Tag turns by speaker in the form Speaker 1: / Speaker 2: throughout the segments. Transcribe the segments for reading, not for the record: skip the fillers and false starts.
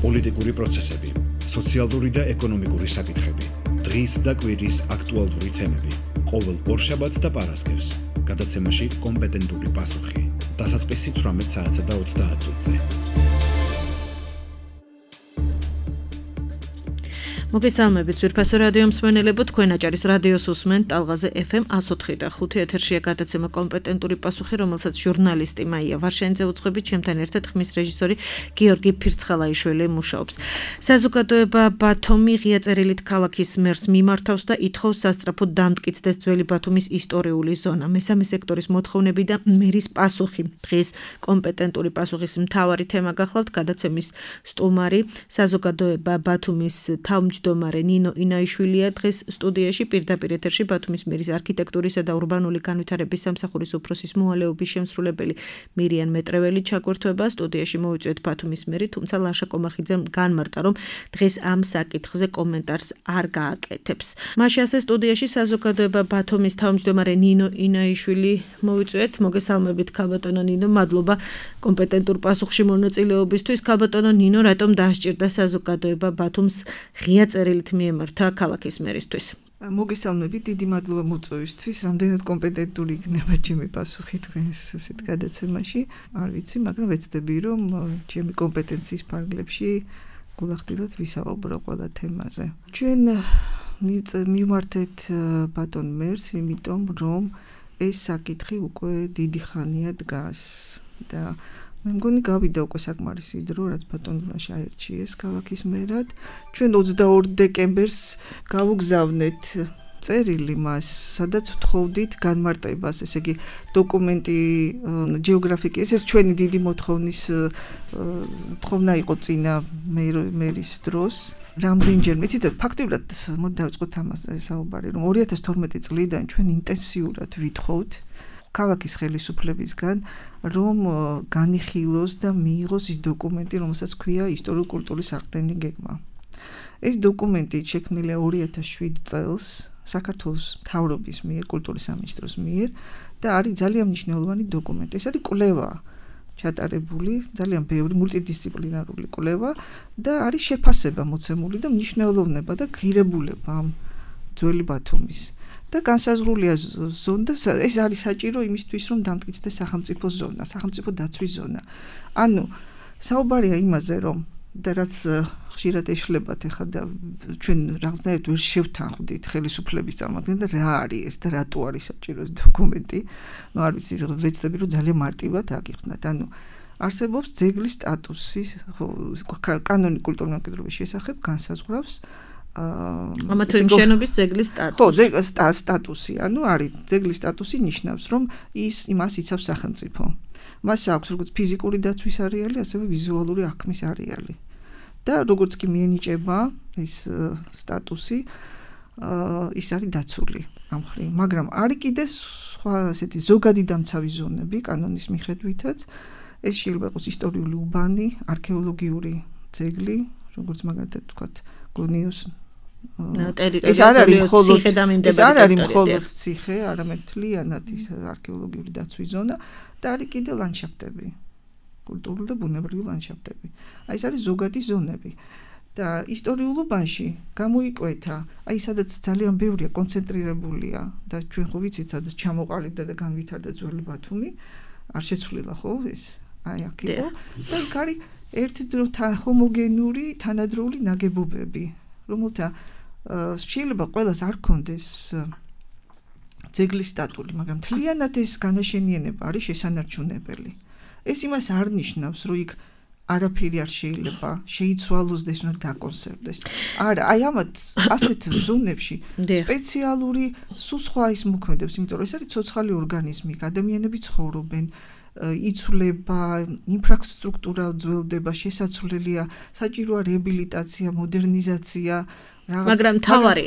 Speaker 1: პოლიტიკური პროცესები, სოციალური და ეკონომიკური საკითხები, დღის და კვირის აქტუალური თემები, ყოველ ორშაბათს და პარასკევს, გადაცემაში კომპეტენტური პასუხი, დასაწყისი 18 საათსა და 30 წუთზე.
Speaker 2: მოგესალმებით ძვირფასო რადიო მსმენელებო, თქვენ აჭარის რადიოს უსმენთ ტალღაზე FM 104 და 5 ეთერშია გადაცემა კომპეტენტური პასუხი, რომელსაც ჟურნალისტი მაია ვარშენიძე უძღვებით, ჩემთან ერთად ხმის რეჟისორი გიორგი ფირცხალაიშვილი მუშაობს. საზოგადოება ბათუმი ღია წერილით ქალაქის მერს მიმართავს და ითხოვს სასწრაფოდ დამტკიცდეს ძველი ბათუმის ისტორიული ზონა. მესამე სექტორის მოთხოვნები და მერის პასუხი. დღეს კომპეტენტური პასუხის მთავარი თემა გახლავთ. გადაცემის სტუმარი საზოგადოება ბათუმის თავმჯდომარე ნინო ინაიშვილია დღეს სტუდიაში, პირდაპირ ეთერში ბათუმის მერის არქიტექტურისა და ურბანული განვითარების სამსახურის უფროსის მოვალეობის შემსრულებელი მირიან მეტრეველი ჩაგვერთვება. სტუდიაში მოვიწვიეთ ბათუმის მერი, თუმცა ლაშა კომახიძემ განმარტა, რომ დღეს ამ საკითხზე კომენტარს არ გააკეთებს. მაშინ ასე სტუდიაში საზოგადოება ბათუმის თავმჯდომარე ნინო ინაიშვილი მოვიწვიეთ. მოგესალმებით ქალბატონო ნინო, მადლობა კომპეტენტურ პასუხში მონაწილეობისთვის. ქალბატონო ნინო, რატომ დაასჭირდა საზოგადოება ბათუმს ღია წერილით მიემართა ქალაქის მერისთვის?
Speaker 3: მოგესალმებით, დიდი მადლობა მოწვევისთვის. რამდენად კომპეტენტური იქნება ჩემი პასუხი თქვენს ასეთ გადაცემაში, არ ვიცი, მაგრამ ვეცდები, რომ ჩემი კომპეტენციის ფარგლებში გულახდილად ვისაუბრო ყველა თემაზე. ჩვენ მივმართეთ ბატონ მერს, იმიტომ რომ ეს საკითხი უკვე დიდი ხანია დგას და მე მგონი გავიდა უკვე საკმარისი დრო, რაც ბატონ ლაშა აირჩიეს ქალაქის მერად. ჩვენ 22 დეკემბერს გავუგზავნეთ წერილი მას, სადაც ვთხოვდით განმარტებას, ესე იგი დოკუმენტი გეოგრაფიკის, ეს ჩვენი დიდი მოთხოვნა იყო წინა მერის დროს. რამდენჯერმე, იცით, ფაქტიურად მოდი დავიწყოთ ამაზე საუბარი, რომ 2012 წლიდან ჩვენ ინტენსიურად ვითხოვთ ქალაქის ხელისუფლებისგან, რომ განიხილოს და მიიღოს ის დოკუმენტი, რომელსაც ქვია ისტორიულ-კულტურის აღდგენილი გეგმა. ეს დოკუმენტი შექმნილია 2007 წელს საქართველოს მთავრობის მიერ, კულტურის სამინისტროს მიერ და არის ძალიან მნიშვნელოვანი დოკუმენტი. ეს არის კვლევა ჩატარებული, ძალიან ბევრი მულტიდისციპლინარული კვლევა და არის შეფასება მოცემული და მნიშვნელოვნება და ღირებულება ამ ძველი ბათუმის. და განსაზღვრულია ზონა და ეს არის საჭირო იმისთვის, რომ დამტკიცდეს სახელმწიფო ზონა, სახელმწიფო დაცვის ზონა. ანუ საუბარია იმაზე, რომ და რაც ხშირად ეშლებათ ახლა და ჩვენ რაღაცნაირად ვერ შევთანხმდით ხელისუფლების წარმოადგენს და რა არის ეს და რატო არის საჭირო ეს დოკუმენტი. ნუ არ ვიცი, ვეცდები რომ ძალიან მარტივად აგიხსნათ. ანუ არსებობს ძეგლის სტატუსი, კანონი კულტურული მემკვიდრეობის შესახებ განსაზღვრავს
Speaker 2: ამა თუ იმ შენობის ძეგლის სტატუსი.
Speaker 3: ხო, სტატუსი, ანუ არის ძეგლის სტატუსი ნიშნავს, რომ იმას იცავს სახელმწიფო. მას აქვს როგორც ფიზიკური დაცვის არეალი, ასევე ვიზუალური აღქმის არეალი. და როგორც კი მიენიჭება ეს სტატუსი, ის არის დაცული ამ მხრივ. მაგრამ არის კიდე სხვა ასეთი ზოგადი დამცავი ზონები კანონის მიხედვითაც. ეს შეიძლება იყოს ისტორიული უბანი, არქეოლოგიური ძეგლი, როგორც მაგალითად ვთქვათ, გონიოს
Speaker 2: ეს არ
Speaker 3: არის მხოლოდ ციხე, არამედ მთლიანად ის არქეოლოგიური დაცვის ზონა და არის კიდე ლანდშაფტები, კულტურული და ბუნებრივი ლანდშაფტები. აი ეს არის ზოგადი ზონები. და ისტორიულ უბანში გამოიკვეთა, აი სადაც ძალიან ბევრია კონცენტრირებულია და ჩვენ ხო ვიცით, სადაც ჩამოყალიბდა და განვითარდა ძველი ბათუმი, არ შეცვლილა ხო ეს? აი აქ იყო და არის ერთდროულად ჰომოგენური თანადროული ნაგებობები, რომელთა შეიძლება ყველას არ ქონდეს ძეგლის სტატუსი, მაგრამ მთლიანად ეს განაშენიანება არის შესანარჩუნებელი. ეს იმას არ ნიშნავს, რომ იქ არაფერი არ შეიძლება შეიცვალოს და ეს უნდა დაკონსერვდეს. არა, აი ამათ ასეთ ზონებში სპეციალური სხვა ის მოქმედებს, იმიტომ რომ ეს არის ცოცხალი ორგანიზმი, ადამიანები ცხოვრობენ, იცვლება, ინფრასტრუქტურა ძველდება, შესაძლებელია, საჭიროა რეაბილიტაცია, მოდერნიზაცია,
Speaker 2: მაგრამ თავარი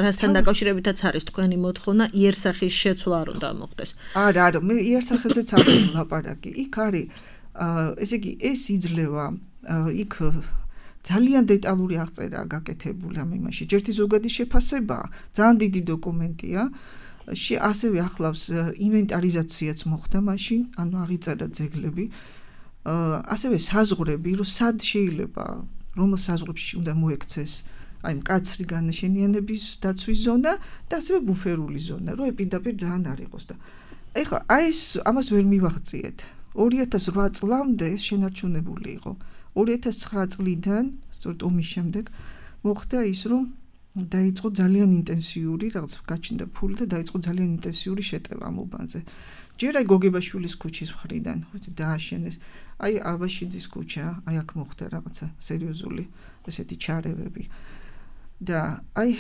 Speaker 2: რასთან დაკავშირებითაც არის თქვენი მოთხოვნა, იერსახის შეცვლა არ უნდა მოხდეს.
Speaker 3: არა, მე იერსახეზეც არ ვლაპარაკი. იქ არის ესე იგი ეს იძლევა იქ ძალიან დეტალური აღწერა გაკეთებული ამ იმაში. ჯერთი ზოგადი შეფასება, ძალიან დიდი დოკუმენტია. ასევე ახლავს ინვენტარიზაციაც მოხდა მაშინ, ანუ აღიწერა ძეგლები. ასევე საზღვრები, რომ სად შეიძლება რომელ საზღვრებში უნდა მოექცეს აი მკაცრი განაშენიანების დაცვის ზონა და ასევე ბუფერული ზონა, რომ ეპიდაპირ ძალიან არ იყოს და ეხლა აი ეს ამას ვერ მივაღწიეთ. 2008 წლამდე ეს შენარჩუნებული იყო. 2009 წლიდან, სწორედ ომის შემდეგ, მოხდა ის, რომ დაიწყო ძალიან ინტენსიური, რაღაც გაჩნდა ფული და დაიწყო ძალიან ინტენსიური შეტევა ამ უბანზე. ჯერ აი გოგებაშვილის ქუჩის მხრიდან, ხოთი დააშენეს. აი აბაშიძის ქუჩა, აი აქ მოხდა რაღაცა სერიოზული ესეთი ჩარევები. და აი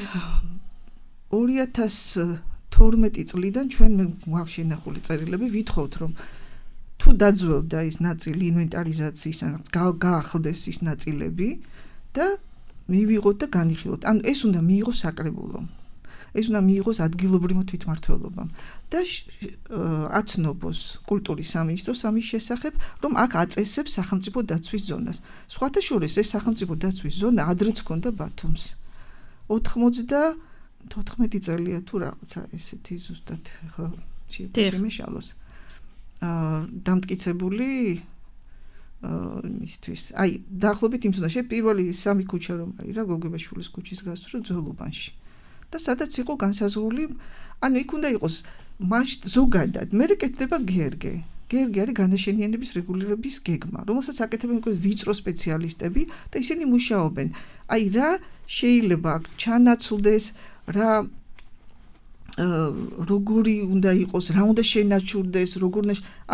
Speaker 3: 2012 წლიდან ჩვენ გვაქვს შენახული წერილები, ვითხოვთ რომ თუ დაძველდა ის ნაწილი ინვენტარიზაციის, გაახლდეს ის ნაწილები და მივიღოთ და განიხილოთ. ანუ ეს უნდა მიიღოს საკრებულომ. ეს უნდა მიიღოს ადგილობრივმა თვითმმართველობამ და აცნობს კულტურის სამინისტროს ამის შესახებ, რომ აქ აწესებს სახელმწიფო დაცვის ზონას. სხვათა შორის ეს სახელმწიფო დაცვის ზონა ადრეც ჰქონდა ბათუმს. 94 წელია თუ რაღაცა ესეთი ზუსტად ხა შემეშალოს. დამტკიცებული მისთვის. აი, დაახლოებით იმ ზონაში პირველი სამი ქუჩა რომ არის რა, გოგებაშვილის ქუჩის გასწვრივ ძველუბანში. და სადაც იყო განსაზღვრული, ანუ იქ უნდა იყოს ზოგადად, მე კეთდება გერგე. გერგე არის განაშენიანების რეგულირების გეგმა, რომელსაც აკეთებენ უკვე ვიწრო სპეციალისტები და ისინი მუშაობენ. აი, რა შეიძლება ჩანაცვლდეს, რა როგორი უნდა იყოს, რა უნდა შენაჩურდეს, როგორ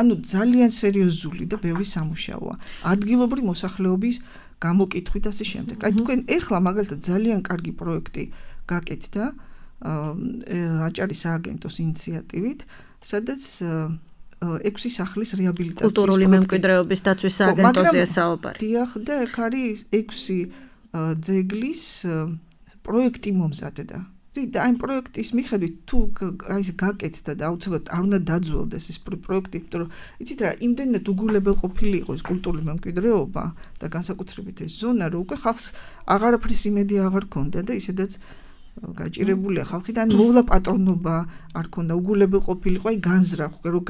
Speaker 3: ანუ ძალიან სერიოზული და ბევრი სამუშაოა. ადგილობრივი მოსახლეობის გამოკითხვით ასე შემდეგ. აი თქვენ ეხლა მაგალითად ძალიან კარგი პროექტი გაკეთდა აჭარის სააგენტოს ინიციატივით, სადაც 6 სახლის რეაბილიტაციის
Speaker 2: კულტურული მემკვიდრეობის დაცვის სააგენტოზეა საუბარი.
Speaker 3: დიახ, და ეგ არის 6 ძეგლის პროექტი მომზადდა. და ამ პროექტის მიხედვით თუ აი ეს გაკეთდა და აუცილებლად არ უნდა დაძველდეს ეს პროექტი, იმიტომ რომ იცით რა, იმდენად უგულებელყოფილი იყო ეს კულტურული მემკვიდრეობა და განსაკუთრებით ეს ზონა, რომ უკვე ხალხს აღარაფრის იმედი აღარ ქონდა და ისედაც გაჭირებულია ხალხი და მოვლა პატრონობა არ ქონდა, უგულებელყოფილიყო, აი განზრახ, რომ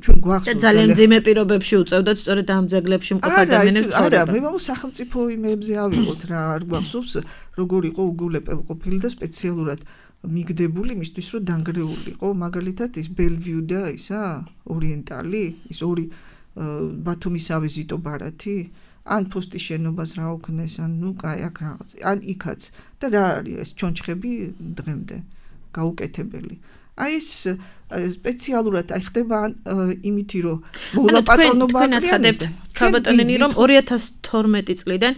Speaker 3: ჩვენ გვახსოვს
Speaker 2: ძალიან მძიმე პირობებში უწევდათ სწორედ ამ ძეგლებში მყოფ ადამიანებს ცხოვრება.
Speaker 3: არა, მე მომს სახელმწიფო იმებზე ავიღოთ რა, არ გვახსოვს როგორ იყო უგულებელყოფილი და სპეციალურად მიგდებული იმისთვის, რომ დანგრეულიყო, მაგალითად ის ბელვიუ და ისა ორიენტალი, ის ორი ბათუმის ავიზიტო ბარათი ან ფოსტის შენობას რა უქნეს, ან ნუ კაი აქ რაღაც, ან იქაც და რა არის ეს ჩონჩხები დღემდე გაუკეთებელი. აი ეს სპეციალურად აი ხდება იმითი რომ მოვლა პატრონობა
Speaker 2: აცხადებთ ქალბატონენი რომ 2012 წლიდან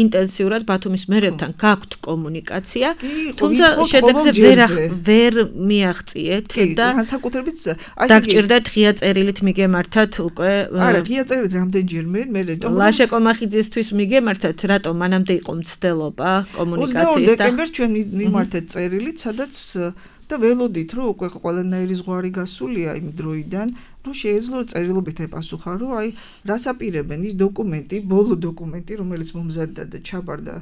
Speaker 2: ინტენსიურად ბათუმის მერებთან გაქვთ კომუნიკაცია, თუმცა შედეგზე ვერ მიაღწიეთ და
Speaker 3: განსაკუთრებით
Speaker 2: აი დაგჭირდათ ღია წერილით მიგემართათ უკვე
Speaker 3: არა ღია წერილით რამდენჯერმე მე
Speaker 2: ლაშე კომახიძისთვის მიგემართათ, რატომ მანამდე იყო მცდელობა კომუნიკაციის და
Speaker 3: 22 დეკემბერს ჩვენ მიმართეთ წერილით, სადაც და ველოდით რომ უკვე ყველანაირი ზღვარი გასულია იმ დროიდან, რომ შეეძლო წერილობით ეპასუხა, რომ აი რას აპირებენ ის დოკუმენტი, ბოლო დოკუმენტი, რომელიც მომზადდა და ჩაბარდა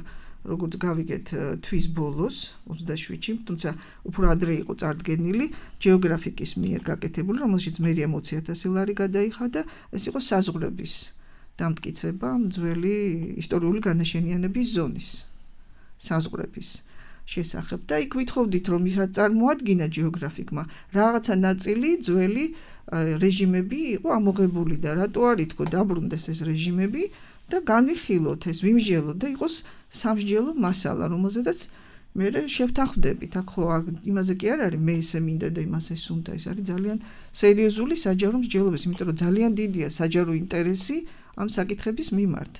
Speaker 3: როგორც გავიგეთ თვის ბოლოს 27-ში, თუმცა უფრო ადრე იყო წარდგენილი გეოგრაფიკის მიერ გაკეთებული, რომელშიც მერია 20,000 ლარი გადაიხადა, ეს იყო საზღვრების დამტკიცება ძველი ისტორიული განაშენიანების ზონის საზღვრების შესახებ და იქ ვითხოვდით რომ ის რაც წარმოადგინა გეოგრაფიკმა რაღაცა ნაწილი ძველი რეჟიმები იყო ამოღებული და რატო არ ითქო დაბრუნდეს ეს რეჟიმები და განვიხილოთ ეს ვიმსჯელოთ და იყოს სამსჯელო მასალა რომელზედაც მე შევთანხმდებით აქ ხო იმაზე კი არ არის მე ესე მინდა და იმას ეს უნდა ეს არის ძალიან სერიოზული საჯარო მსჯელობის იმიტომ რომ ძალიან დიდია საჯარო ინტერესი ამ საკითხების მიმართ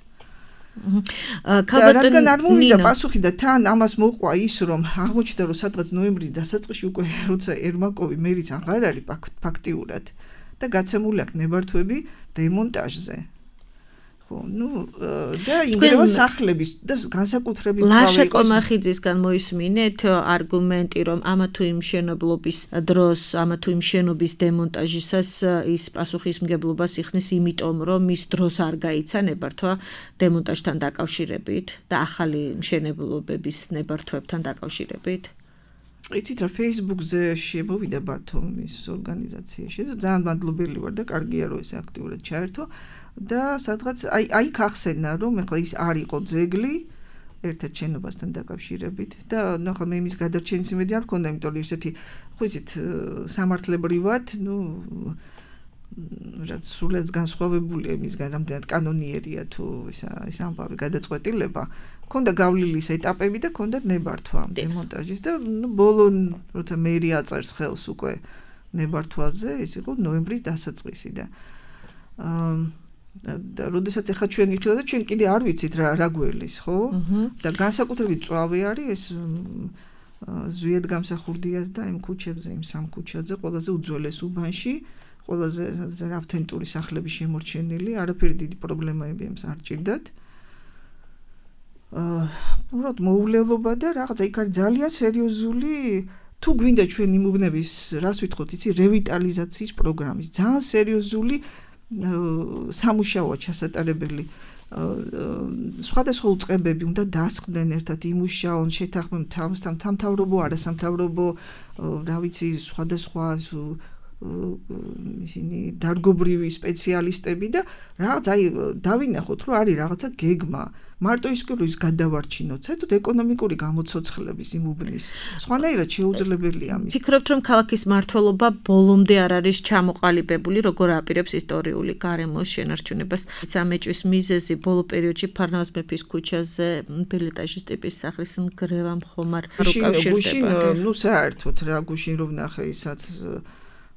Speaker 3: რადგან არ მოვიდა პასუხი და თან ამას მოყვა ის რომ აღმოჩნდა რომ სადღაც ნოემბრის დასაწყისში უკვე როცა ერმაკოვი მერიც აღარ არის ფაქტიურად და გაცემული აქვს ნებართვები დემონტაჟზე ხო ნუ და ინგრევა სახლების და განსაკუთრებით
Speaker 2: ლაშა კომახიძისგან მოისმინეთ არგუმენტი რომ ამა თუ იმ მშენებლობის დროს ამა თუ იმ შენობის დემონტაჟისას ის პასუხისმგებლობას იხსნის იმიტომ რომ ის დროს არ გაიცა ნებართვა დემონტაჟთან დაკავშირებით და ახალი მშენებლობების ნებართვებთან დაკავშირებით
Speaker 3: იცით რა Facebook-ზე შემოვიდა ბათუმის ორგანიზაციაში ძალიან მადლობელი ვარ და კარგია რომ ეს აქტიურად ჩაერთო და სადღაც აი ხახსენა რომ ეხლა ის არ იყო ძეგლი ერთად შენობასთან დაკავშირებით და ნახა მე იმის გადარჩენის იმედი არ მქონდა, იმიტომ რომ ისეთი ხო იცით სამართლებრივად, რაც სულაც განსხვავებულია იმისგან, რამდენად კანონიერია თუ ეს ამბავი გადაწყვეტილება. მქონდა გავლილი ეტაპები და მქონდა ნებართვა დემონტაჟის და ბოლო როცა მერი აწერს ხელს უკვე ნებართვაზე, ეს იყო ნოემბრის დასაწყისი და და როდესაც ახლა ჩვენ ვიხილავთ და ჩვენ კიდე არ ვიცით რა გველის, ხო? და განსაკუთრებით წვავი არის ეს ზვიად გამსახურდიას და იმ ქუჩებზე, იმ სამ ქუჩაზე, ყველაზე უძველეს უბანში, ყველაზე ავთენტური სახლები შემორჩენილი, არაფერი დიდი პრობლემები ამს არ ჭირდათ. უბრალოდ მოულელობა და რაღაცა იქ არის ძალიან სერიოზული თუ გვინდა ჩვენ იმ უბნების, რას ვითხოვთ, იცი, რევიტალიზაციის პროგრამის, ძალიან სერიოზული სამუშაოა ჩასატარებელი. სხვადასხვა უწყებები უნდა დასხდნენ ერთად იმუშაონ, შეთანხმდნენ სამთავრობო, არასამთავრობო, რა ვიცი, სხვადასხვა ისინი დარგობრივი სპეციალისტები და რაღაც აი დავინახოთ რომ არის რაღაცა გეგმა მარტო ის რომ ის გადავარჩინოთ საერთოდ ეკონომიკური გამოცოცხლების იმ უბნის სხვანაირად შეუძლებელია მის
Speaker 2: ფიქრობთ რომ ქალაქის მმართველობა ბოლომდე არ არის ჩამოყალიბებული როგორ აპირებს ისტორიული გარემოს შენარჩუნებას სამეჭვის მიზეზი ბოლო პერიოდში ფარნავაზ მეფის ქუჩაზე ბილეტაჟის ტიპის სახლის ნგრევა მხომარ
Speaker 3: უკავშირდება ნუ საერთოდ რა გუშინ რომ ნახე ისაც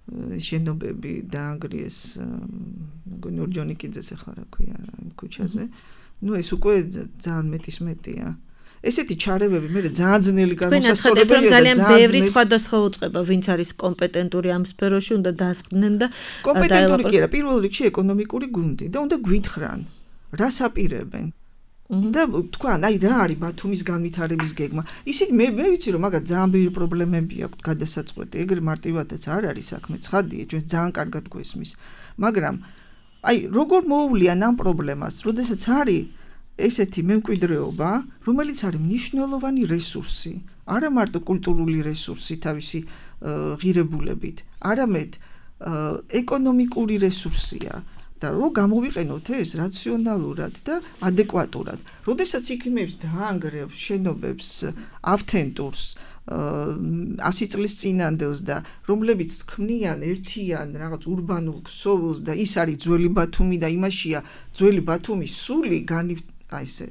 Speaker 3: შენობები დაანგრიეს მგონი ორჯონიკიძეს ახლა რა ქვია იმ ქუჩაზე ნუ ეს უკვე ძალიან მეტია ესეთი ჩარევები მე ძალიან ძნელი
Speaker 2: განსასწორებელია ძალიან ბევრი სხვადასხვა უწყება ვინც არის კომპეტენტური ამ სფეროში უნდა დასხდნენ და
Speaker 3: კომპეტენტური კი არა პირველ რიგში ეკონომიკური გუნდი და უნდა გვითხრან რას აპირებენ და თქვან აი რა არის ბათუმის განვითარების გეგმა ისიც მე ვიცი რომ მაგათ ძალიან ბევრი პრობლემები აქვს გადასაწყვეტი ეგრე მარტივადაც არ არის საქმე ცხადია ჩვენ ძალიან კარგად გვესმის მაგრამ აი როგორ მოუვლიან ამ პრობლემას როდესაც არის ესეთი მემკვიდრეობა რომელიც არის მნიშვნელოვანი რესურსი არა მარტო კულტურული რესურსი თავისი ღირებულებით არამედ ეკონომიკური რესურსია და რო გამოვიყენოთ ეს რაციონალურად და ადეკვატურად. როდესაც იქიმებს დაანგრევს შენობებს ავთენტურს 100 წლის წინანდელს და რომლებიც თქმნიან ერთიან რაღაც ურბანულ ქსოვილს და ის არის ძველი ბათუმი და იმაშია ძველი ბათუმის სული აი ესე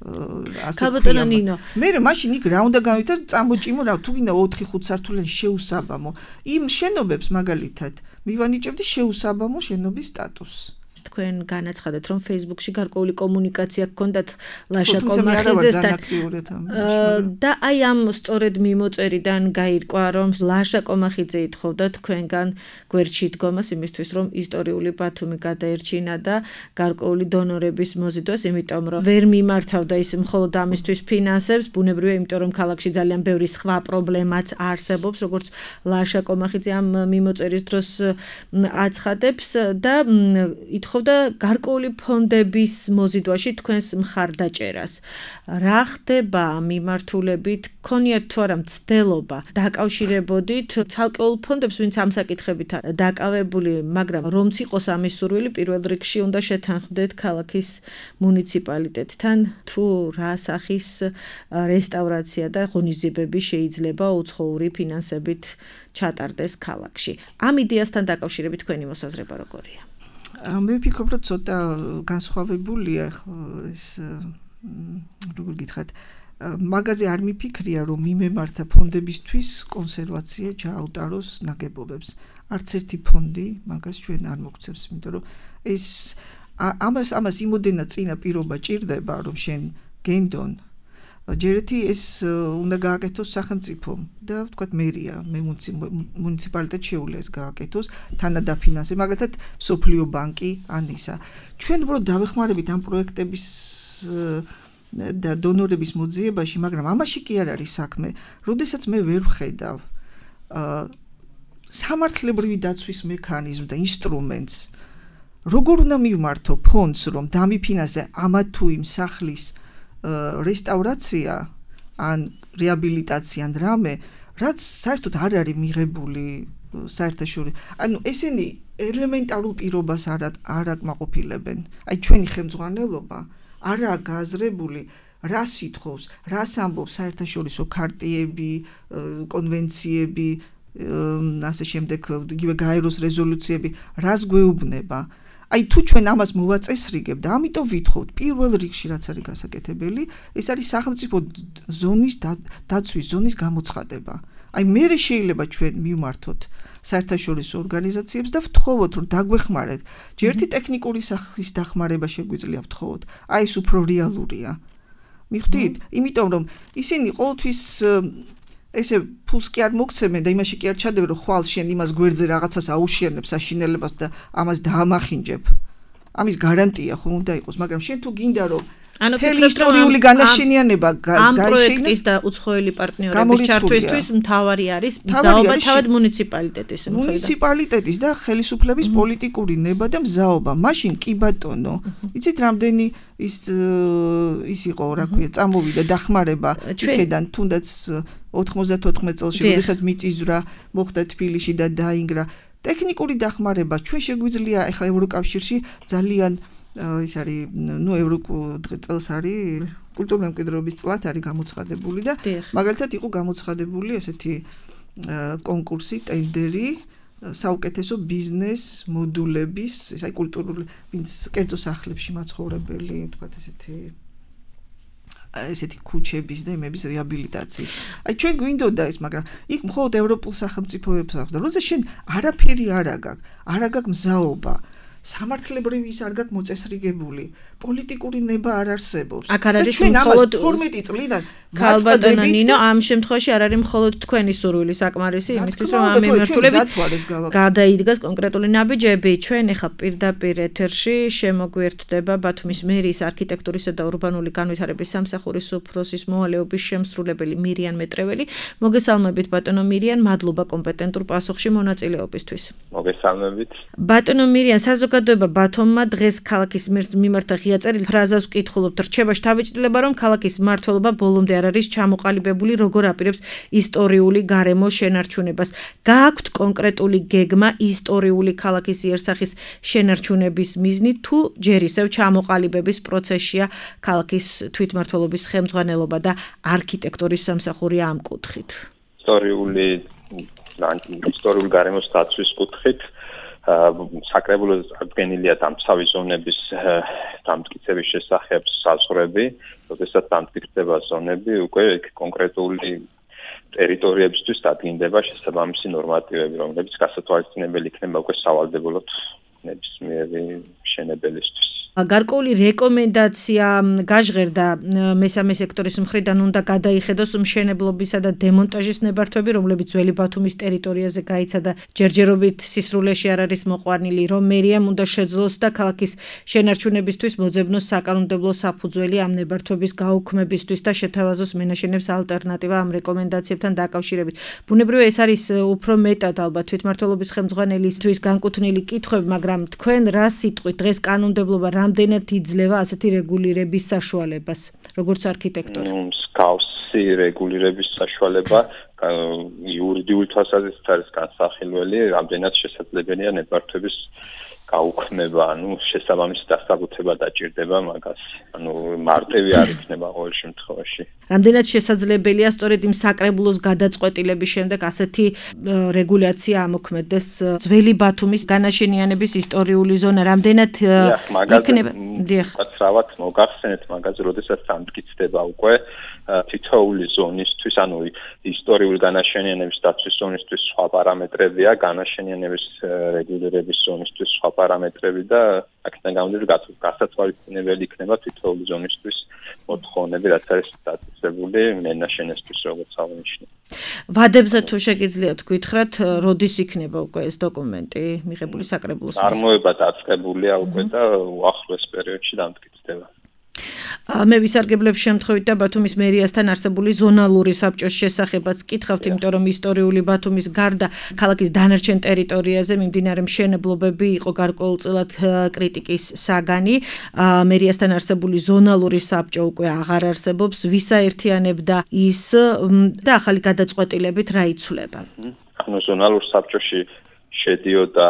Speaker 2: კაბატონო ნინო
Speaker 3: მე მაშინ იქ რა უნდა განვითარ წამოჭიმო რა თუ გინდა 4-5 სართულიანი შეუსაბამო იმ შენობებს მაგალითად მივანიჭებდი შეუსაბამო შენობის სტატუსს
Speaker 2: თქვენ განაცხადეთ რომ Facebook-ში გარკვეული კომუნიკაცია გქონდათ ლაშა კომახიძესთან და აი ამ სწორედ მიმოწერიდან გაირკვა რომ ლაშა კომახიძე ითხოვდა თქვენგან გვერდში დგომას იმისთვის რომ ისტორიული ბათუმი გადაერჩინა და გარკვეული დონორების მოზიდვას იმიტომ რომ ვერ მიმართავდა ის მხოლოდ ამისთვის ფინანსებს ბუნებრივია იმიტომ რომ ქალაქში ძალიან ბევრი სხვა პრობლემაც არსებობს როგორც ლაშა კომახიძე ამ მიმოწერის დროს აცხადებს და ითხოვდა გარკვეული ფონდების მოზიდვაში თქვენს მხარდაჭერას. რა ხდება მიმართულებით? ქონიათ თუ არა მცდელობა დაკავშირებოდით ცალკეულ ფონდებს, ვინც ამ საკითხებით დაკავებული, მაგრამ რომც იყოს ამის სურვილი, პირველ რიგში უნდა შეთანხმდეთ ქალაქის მუნიციპალიტეტთან, თუ რა სახის რესტავრაცია და ღონისძიებები შეიძლება უცხოური ფინანსებით ჩატარდეს ქალაქში. ამ იდეასთან დაკავშირებით თქვენი მოსაზრება როგორია?
Speaker 3: მე ვფიქრობ, რომ ცოტა განსხვავებულია ეს როგორ გითხრათ მაგაზე არ მიფიქრია რომ მიმემართა ფონდებისთვის კონსერვაცია ჩააუტაროს ნაგებობებს არც ერთი ფონდი მაგას ჩვენ არ მოგცემს იმიტომ რომ ეს ამას იმოდენა წინა პირობა ჭირდება რომ შენ გენდონ ჯერეთი ეს უნდა გააკეთოს სახელმწიფომ და ვთქვათ მერია მე მუნიციპალიტეტს შეუძლია ეს გააკეთოს თანადაფინანსება მაგალითად სოფლიო ბანკი ან ისა ჩვენ უბრალოდ დავეხმარებით ამ პროექტების და დონორების მოძიებაში მაგრამ ამაში კი არ არის საქმე როდესაც მე ვერ ვხედავ სამართლებრივი დაცვის მექანიზმს და ინსტრუმენტს როგორ უნდა მივმართო ფონდს რომ დამიფინანსე ამა თუ იმ სახლის რესტავრაცია ან რეაბილიტაცია ან რამე რაც საერთოდ არ არის მიღებული საერთაშორისო ანუ ესენი ელემენტარულ პირობას არ აკმაყოფილებენ აი ჩვენი ხელმძღვანელობა არაა გააზრებული რას ითხოვს, რას ამბობს საერთაშორისო ქარტიები, კონვენციები, ასე შემდეგ იგივე გაეროს რეზოლუციები, რას გვეუბნება. Აი თუ ჩვენ ამას მოვაწესრიგებთ და ამიტომ ვითხოვთ პირველ რიგში რაც არის გასაკეთებელი, ეს არის სახელმწიფო ზონის დაცვის ზონის გამოცხადება. Აი მე შეიძლება ჩვენ მივმართოთ საერთაშორისო ორგანიზაციებს და ვთხოვოთ რომ დაგვეხმარეთ. ჯერ ერთი ტექნიკური სახის დახმარება შეგვიძლია ვთხოვოთ. აი ეს უფრო რეალურია. მიხვდით? იმიტომ რომ ისინი ყოველთვის ესე ფულს კი არ მოგცემენ და იმაში კი არ ჩადებენ რომ ხვალ შენ იმას გვერდზე რაღაცას აუშენებ საშინელებას და ამას დაამახინჯებ. ამის გარანტია ხო უნდა იყოს, მაგრამ შენ თუ გინდა რომ მთელი ისტორიული განაშენიანება
Speaker 2: ამ პროექტის და უცხოელი პარტნიორების ჩართვისთვის მთავარი არის მზაობა თავად მუნიციპალიტეტის მხრიდან.
Speaker 3: მუნიციპალიტეტის და ხელისუფლების პოლიტიკური ნება და მზაობა. მაშინ კი ბატონო, იცით რამდენი ის იყო, რა ქვია, წამოვიდა დახმარება იქედან თუნდაც 94 წელს, როდესაც მიწისძვრა მოხდა თბილისში და დაინგრა. ტექნიკური დახმარება ჩვენ შეგვიძლია ახლა ევროკავშირში ძალიან ის არის წელს არის კულტურული მემკვიდრეობის წლად არის გამოცხადებული და მაგალითად იყო გამოცხადებული ესეთი კონკურსი, ტენდერი საუკეთესო ბიზნეს მოდულების, აი კულტურული ვინც კერძო სახლებში მაცხოვრებელი, თქვათ ესეთი ქუჩების და იმების რეაბილიტაციის. აი ჩვენ გვინდოდა ეს, მაგრამ იქ მხოლოდ ევროპულ სახელმწიფოებს აქვს და როდესაც შენ არაფერი არ აგაქვს მზაობა სამართლებრივი ის არ გაქვს მოწესრიგებული, პოლიტიკური ნება არ არსებობს.
Speaker 2: აქ არ არის მხოლოდ
Speaker 3: 12 წლიდან
Speaker 2: ქალბატონო ნინო, ამ შემთხვევაში არ არის მხოლოდ თქვენი სურვილი საკმარისი იმისთვის, რომ ამ მიმართულებით გადაიდგას კონკრეტული ნაბიჯები. ჩვენ ახლა პირდაპირ ეთერში შემოგვიერთდება ბათუმის მერიის არქიტექტურისა და ურბანული განვითარების სამსახურის უფროსის მოვალეობის შემსრულებელი მირიან მეტრეველი. მოგესალმებით ბატონო მირიან, მადლობა კომპეტენტურ პასუხში მონაწილეობისთვის.
Speaker 4: მოგესალმებით.
Speaker 2: ბატონო მირიან, საზოგადოება ბათუმმა დღეს ქალაქის მიმართ ღია წერილ ფრაზას ვკითხულობთ. რჩება შთაბეჭდილება, რომ ქალაქის მმართველობა ბოლომდე არ არის ჩამოყალიბებული, როგორ აპირებს ისტორიული გარემოს შენარჩუნებას. გააქვთ კონკრეტული გეგმა ისტორიული ქალაქის იერსახის შენარჩუნების მიზნით, თუ ჯერ ისევ ჩამოყალიბების პროცესშია ქალაქის თვითმმართველობის ხელმძღვანელობა და არქიტექტურის სამსახური ამ კუთხით?
Speaker 4: ისტორიულ გარემოს დაცვის კუთხით საკრებულოს აღდგენილია დამცავი ზონების დამტკიცების შესახებ საზღვრები, როდესაც დამტკიცდება ზონები, უკვე კონკრეტული ტერიტორიებისთვის დადგინდება შესაბამისი ნორმატივები, რომლებიც გასათვალისწინებელი იქნება უკვე სავალდებულოდ ნებისმიერი მშენებელისთვის.
Speaker 2: გარკვეული რეკომენდაცია გაჟღერდა მესამე სექტორის მხრიდან, უნდა გადაიხედოს მშენებლობისა და დემონტაჟის ნებართვები, რომლებიც ძველი ბათუმის ტერიტორიაზე გაიცა და ჯერჯერობით სისრულეში არ არის მოყვანილი, რომ მერიამ უნდა შეძლოს და ქალაქის შენარჩუნებისთვის მოძებნოს საკანონმდებლო საფუძველი ამ ნებართვების გაუქმებისთვის და შეთავაზოს მენაშენებს ალტერნატივა ამ რეკომენდაციებთან დაკავშირებით. ბუნებრივია ეს არის უფრო მეტად ალბათ თვითმმართველობის ხელმძღვანელისთვის განკუთვნილი კითხვები, მაგრამ თქვენ რა სიტყვით დღეს კანონმდებლობა რამდენად იძლევა ასეთი რეგულირების საშუალებას, როგორც არქიტექტორი?
Speaker 4: მსგავსი რეგულირების საშუალება იურიდიული თვალსაზრისით არის განსახილველი, რამდენად შესაძლებელია ნებართვების გაუქმება, შესაბამისი დასაბუთება დაჭირდება მაგას. მარტივი არ იქნება ყოველ შემთხვევაში.
Speaker 2: რამდენად შესაძლებელია სწორედ იმ საკრებულოს გადაწყვეტილების შემდეგ ასეთი რეგულაცია ამოქმედდეს ძველი ბათუმის განაშენიანების ისტორიული ზონა, რამდენად იქნება?
Speaker 4: კაცრავად მოგახსენეთ მაგაზე, როდესაც დამტკიცდება უკვე თითოეული ზონისთვის, ისტორიული განაშენიანების დაცვის ზონისთვის სხვა პარამეტრებია, განაშენიანების რეგულირების ზონისთვის სხვა პარამეტრები და აქედან გამომდინარე გასათვალისწინებელი იქნება თითოეული ზონისთვის მოთხოვნები, რაც არის დაწესებული მენაშენესთვის, როგორც აღნიშნე.
Speaker 2: ვადებზე თუ შეგიძლიათ გითხრათ, როდის იქნება უკვე ეს დოკუმენტი მიღებული საკრებულოს?
Speaker 4: წარმოება დაწყებულია უკვე და უახლოეს პერიოდში დამტკიცდება.
Speaker 2: მე ვისარგებლებ შემთხვევით და ბათუმის მერიასთან არსებული ზონალური საბჭოს შესახებაც კითხავთ, იმიტომ რომ ისტორიული ბათუმის გარდა ქალაქის დანარჩენ ტერიტორიაზე მიმდინარე მშენებლობები იყო გარკვეულწილად კრიტიკის საგანი. მერიასთან არსებული ზონალური საბჭო უკვე აღარ არსებობს, ვისაერთიანებდა ის და ახალი გადაწყვეტილებით რა იცვლება?
Speaker 4: ზონალურ საბჭოში შედიოდა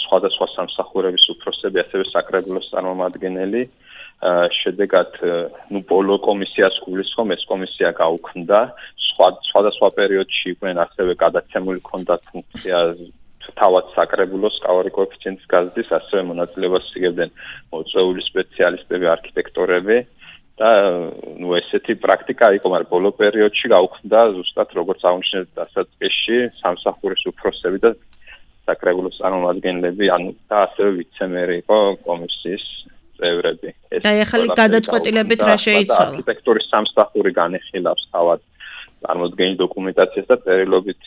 Speaker 4: სხვადასხვა სამსახურების უფროსები, ასევე საკრებულოს წარმომადგენელი. შედეგად პოლო კომისიას გულისხმობ, ეს კომისია გაუქმდა, სხვადასხვა პერიოდში იყვნენ ასევე გადაცემული ჰქონდათ ფუნქცია თავად საკრებულოს კავარი კოეფიციენტის გაზრდის, ასევე მონაწილეობას იღებდნენ მოწვეული სპეციალისტები, არქიტექტორები და ესეთი პრაქტიკა იყო, მაგრამ ბოლო პერიოდში გაუქმდა ზუსტად როგორც აღნიშნეთ დასაწყისში სამსახურის უფროსები და საკრებულოს წარმომადგენლები, და ასევე ვიცე-მერი იყო კომისიის წევრები.
Speaker 2: და ახალი გადაწყვეტილებით რა შეიცვალა?
Speaker 4: არქიტექტურის სამსახური განიხილავს თავად წარმოდგენილ დოკუმენტაციას და სტერილობით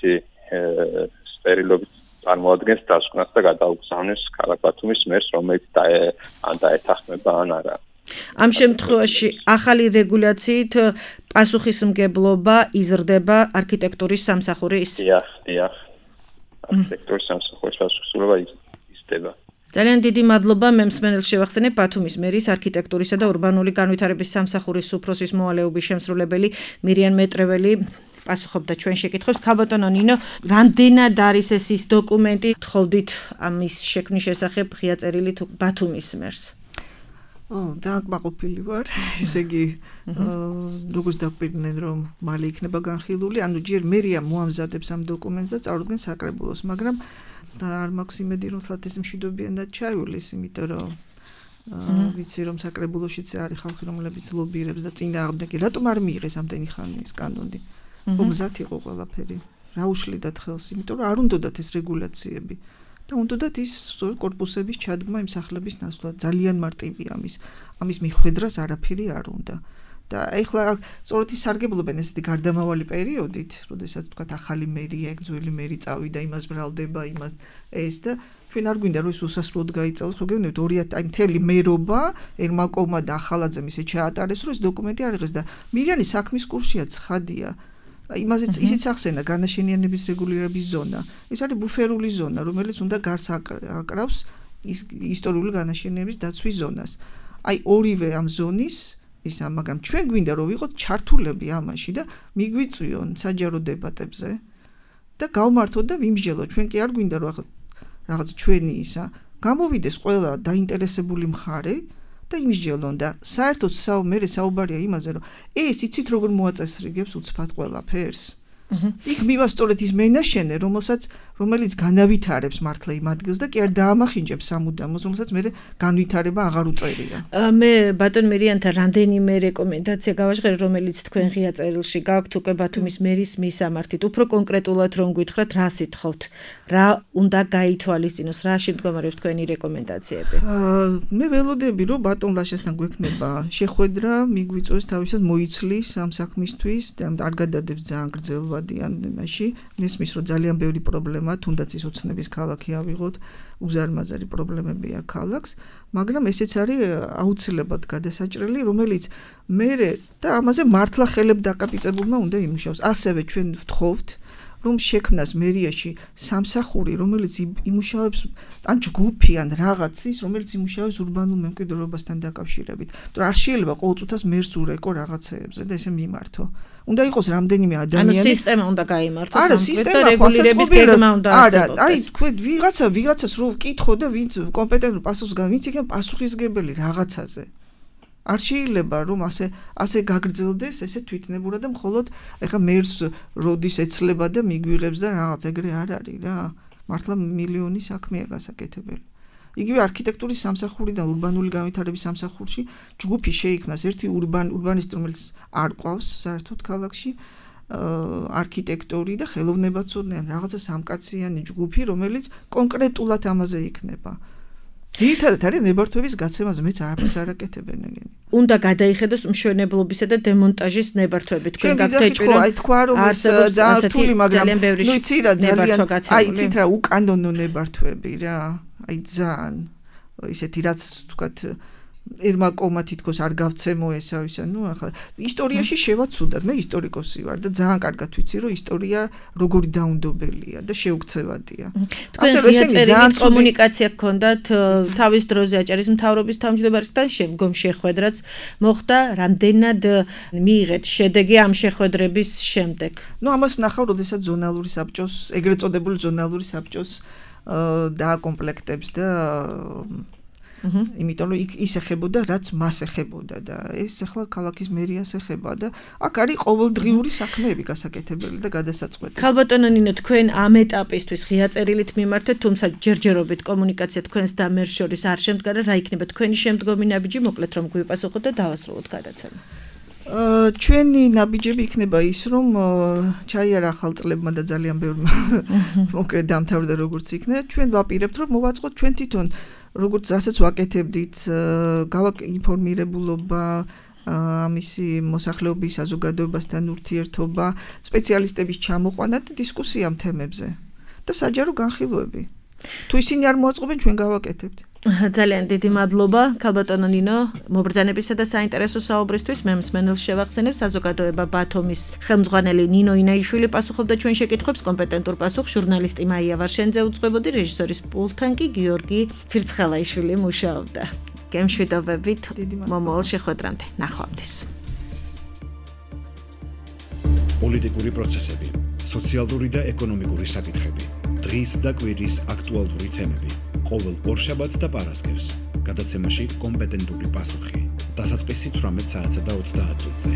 Speaker 4: წარმოადგენს დასკვნას და გადაუგზავნეს ქალაქ ბათუმის მერს, რომელიც დაეთანხმება ან არა.
Speaker 2: ამ შემთხვევაში ახალი რეგულაციით პასუხისმგებლობა იზრდება არქიტექტურის სამსახურის?
Speaker 4: დიახ. არქიტექტურის სამსახურის პასუხისმგებლობა იზრდება.
Speaker 2: ძალიან დიდი მადლობა, მე მსმენელს შევახსენებ ბათუმის მერის არქიტექტურისა და ურბანული განვითარების სამსახურის უფროსის მოვალეობის შემსრულებელი მირიან მეტრეველი პასუხობდა ჩვენ შეკითხვებს. ქალბატონო ნინო, რამდენად არის ეს ის დოკუმენტი, თხოვდით ამის შექმნის შესახებ ღია წერილით ბათუმის მერს?
Speaker 3: ძალიან კმაყოფილი ვარ, ესე იგი, როგორც დაგვირდნენ, რომ მალე იქნება განხილული, ანუ ჯერ მერია მოამზადებს ამ დოკუმენტს და წარუდგენს საკრებულოს, მაგრამ არ მაქვს იმედი, რომ თლათ ეს მშვიდობიანად ჩაივლის, იმიტომ რომ ვიცი რომ საკრებულოშიც არის ხალხი, რომლებიც ლობირებს და წინააღმდეგი, რატომ არ მიიღეს ამდენი ხანი ეს კანონი? გზად იყო ყველაფერი. რა უშლიდათ ხელს, იმიტომ რომ არ უნდათ ეს რეგულაციები. და უნდათ ის კორპუსების ჩადგმა იმ სახლების ნაცვლად. ძალიან მარტივია ამის მიხვედრას არაფერი არ უნდა. და ეხლა სწორედ ის სარგებლობენ ესეთი გარდამავალი პერიოდით, როდესაც თქვა ახალი მერია, ძველი მერი წავიდა, იმას ბრალდება, ეს და ჩვენ არ გვინდა რომ ეს უსასრულოდ გაიწელოს, ხო გეუბნებით 2000 აი მთელი მერობა ერმაკოვმა და ახალაძემ ისე ჩაატარეს, რომ ეს დოკუმენტი არ იღეს და მირიანი საქმის კურსია ცხადია. იმაზეც ისიც ახსენა განაშენიანების რეგულირების ზონა. ეს არის ბუფერული ზონა, რომელიც უნდა გარს აკრავს ისტორიული განაშენიანების დაცვის ზონას. აი ორივე ამ ზონის მაგრამ ჩვენ გვინდა რომ ვიყოთ ჩართულები ამაში და მიგვიწვიონ საჯარო დებატებზე და გავმართოთ და ვიმსჯელოთ. ჩვენ კი არ გვინდა რომ რაღაც ჩვენი გამოვიდეს ყველა დაინტერესებული მხარე და იმსჯელონ და საერთოდ მე საუბარია იმაზე რომ ეს იცით როგორ მოაწესრიგებს უცბად ყველაფერს. იქ მივა სწორედ ის მენაშენე, რომელიც განავითარებს მართლა იმ ადგილს და კი არ დაამახინჯებს სამუდამოს, რომელსაც მე განვითარება აღარ უწერია.
Speaker 2: მე ბატონ მირიანთან რამდენიმე რეკომენდაცია გავაჟღერე, რომელიც თქვენ ღია წერილში გაქვთ უკვე ბათუმის მერის მისამართით. უფრო კონკრეტულად რომ გითხრათ, რა სიტყვით, რა უნდა გაითვალისწინოს, რა შემდგომარეობს თქვენი რეკომენდაციები?
Speaker 3: მე ველოდები რომ ბატონ ლაშასთან გვექნება შეხვედრა, მიგვიწვევს თავისად მოიცლის ამ საქმისთვის და არ გადადებს ძალიან გრძელვადიან იმაში. მესმის რომ ძალიან ბევრი პრობლემა, თუნდაც ის ოცნების ქალაქი ავიღოთ, უზარმაზარი პრობლემები აქვს ქალაქს, მაგრამ ესეც არის აუცილებლად გადასაჭრელი, რომელიც მე და ამაზე მართლა ხელებ დაკაპიწებულმა უნდა იმუშაოს. ასევე ჩვენ ვთხოვთ რომ შექმნას მერიაში სამსახური, რომელიც იმუშავებს ან ჯგუფი ან რაღაცის, რომელიც იმუშავებს ურბანულ მემკვიდრეობასთან დაკავშირებით. არ შეიძლება ყოველწუთას მერს ურეკო რაღაცეებზე და ესე მიმართო. უნდა იყოს რამდენიმე ადამიანი.
Speaker 2: ანუ სისტემა უნდა გაიმართოს.
Speaker 3: არა, სისტემა
Speaker 2: რეგულირების გეგმა უნდა არსებობდეს.
Speaker 3: აი, თქვენ ვიღაცას რო ვკითხო და ვინც კომპეტენტურ პასუხს ვინც იქნება პასუხისგებელი რაღაცაზე. არ შეიძლება რომ ასე გაგრძელდეს ესე თვითნებურად და მხოლოდ ეხა მერს როდის ეცლება და მიგვიღებს და რაღაც ეგრე არ არის რა. მართლა მილიონი საქმეა გასაკეთებელი. იგივე არქიტექტურის სამსახურიდან ურბანული განვითარების სამსახურში ჯგუფი შეიქმნას ერთი ურბანისტი, რომელიც არ ყავს საერთოდ ქალაქში, არქიტექტორი და ხელოვნებაცოდნე რაღაცა სამკაციანი ჯგუფი, რომელიც კონკრეტულად ამაზე იქნება. ძირითადად არის ნებართვების გაცემაზე, მეც არაფერს არ აკეთებენ ეგენი.
Speaker 2: უნდა გადაიხედოს მშენებლობისა და დემონტაჟის ნებართვები. თქვენ გაგდეჭვი
Speaker 3: რომ აი თქვა რომ ეს ძალიან რთული, მაგრამ ნუ იცი რა ძალიან აი იცით რა უკანონო ნებართვები რა. აი ძალიან ისეთი რაც თქვათ ერმაკოვმა თითქოს არ გავცემო ესა ნუ ახლა ისტორიაში შევაცუდად, მე ისტორიკოსი ვარ და ძალიან კარგად ვიცი რომ ისტორია როგორი დაუნდობელია და შეუქცევადია.
Speaker 2: ასევე ესენი ძალიან კომუნიკაცია გქონდათ თავის დროზე აჭარის მთავრობის თავმჯდომარესთან, შემდგომ შეხვედრაც მოხდა, რამდენად მიიღეთ შედეგი ამ შეხვედრების შემდეგ?
Speaker 3: ნუ ამას ვნახავ, როდესაც ზონალური საბჭოს, ეგრეთ წოდებული ზონალური საბჭოს დააკომპლექტებს და იმიტომ რომ იქ ის ეხებოდა, რაც მას ეხებოდა და ეს ახლა ქალაქის მერიას ეხება და აქ არის ყოველდღიური საქმეები გასაკეთებელი და გადასაწყვეტი.
Speaker 2: ხალბატონო ნინო, თქვენ ამ ეტაპისთვის ღია წერილით მიმართეთ, თუმცა ჯერჯერობით კომუნიკაცია თქვენს და მერს შორის არ შემდგარა, რა იქნება თქვენი შემდგომი ნაბიჯი, მოკლედ რომ გვიპასუხოთ და დავასრულოთ გადაცემა.
Speaker 3: ჩვენი ნაბიჯები იქნება ის, რომ ჩაიარა ახალ წლებმა და ძალიან ბევრმა მოკლედ დამთავრდა როგორც იქნება. ჩვენ ვაპირებთ, რომ მოვაწყოთ ჩვენ თვითონ როგორც რასაც ვაკეთებდით, გავაკეთებულობა ამისი მოსახლეობის საზოგადოებასთან ურთიერთობა, სპეციალისტების ჩამოყვანა და დისკუსია ამ თემებზე და საჯარო განხილვები. თუ ისინი არ მოაწყობენ, ჩვენ გავაკეთებთ.
Speaker 2: ძალიან დიდი მადლობა ქალბატონო ნინო მობრძანებისა და საინტერესო საუბრისთვის. მე მსმენელს შევახსენებ, საზოგადოება ბათუმის ხელმძღვანელი ნინო ინაიშვილი პასუხობდა ჩვენ შეკითხვებს, კომპეტენტურ პასუხს ჟურნალისტი მაია ვარშენძე უძღვებოდი, რეჟისორის პულტთან კი გიორგი ფირცხელაიშვილი მუშაობდა. გემშვიდობებით მომავალ შეხვედრამდე. ნახვამდის.
Speaker 1: პოლიტიკური პროცესები, სოციალური და ეკონომიკური საკითხები, დღის და კვირის აქტუალური თემები. ყოველ ორშაბათს და პარასკევს გადაცემაში კომპეტენტური პასუხი. დასაწყისი 18 საათსა და 30 წუთზე.